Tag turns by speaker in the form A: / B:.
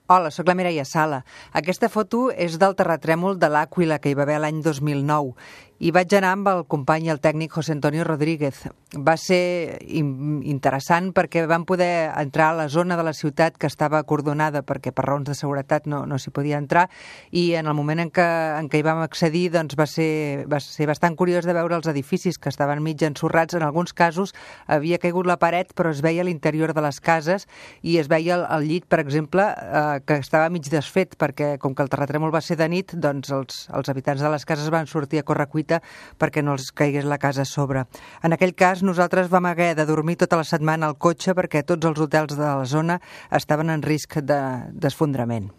A: Hola, sóc la Mireia Sala. Aquesta foto és del terratrèmol de l'Àquila que hi va haver l'any 2009 i vaig anar amb el company i el tècnic José Antonio Rodríguez. Va ser interessant perquè vam poder entrar a la zona de la ciutat que estava acordonada perquè per raons de seguretat no s'hi podia entrar, i en el moment en què hi vam accedir doncs va ser bastant curiós de veure els edificis que estaven mig ensorrats. En alguns casos havia caigut la paret però es veia l'interior de les cases i es veia el llit, per exemple, que estava mig desfet perquè com que el terratrèmol va ser de nit, doncs els habitants de les cases van sortir a correcuita perquè no els caigués la casa a sobre. En aquell cas nosaltres vam haver de dormir tota la setmana al cotxe perquè tots els hotels de la zona estaven en risc d'esfondrament.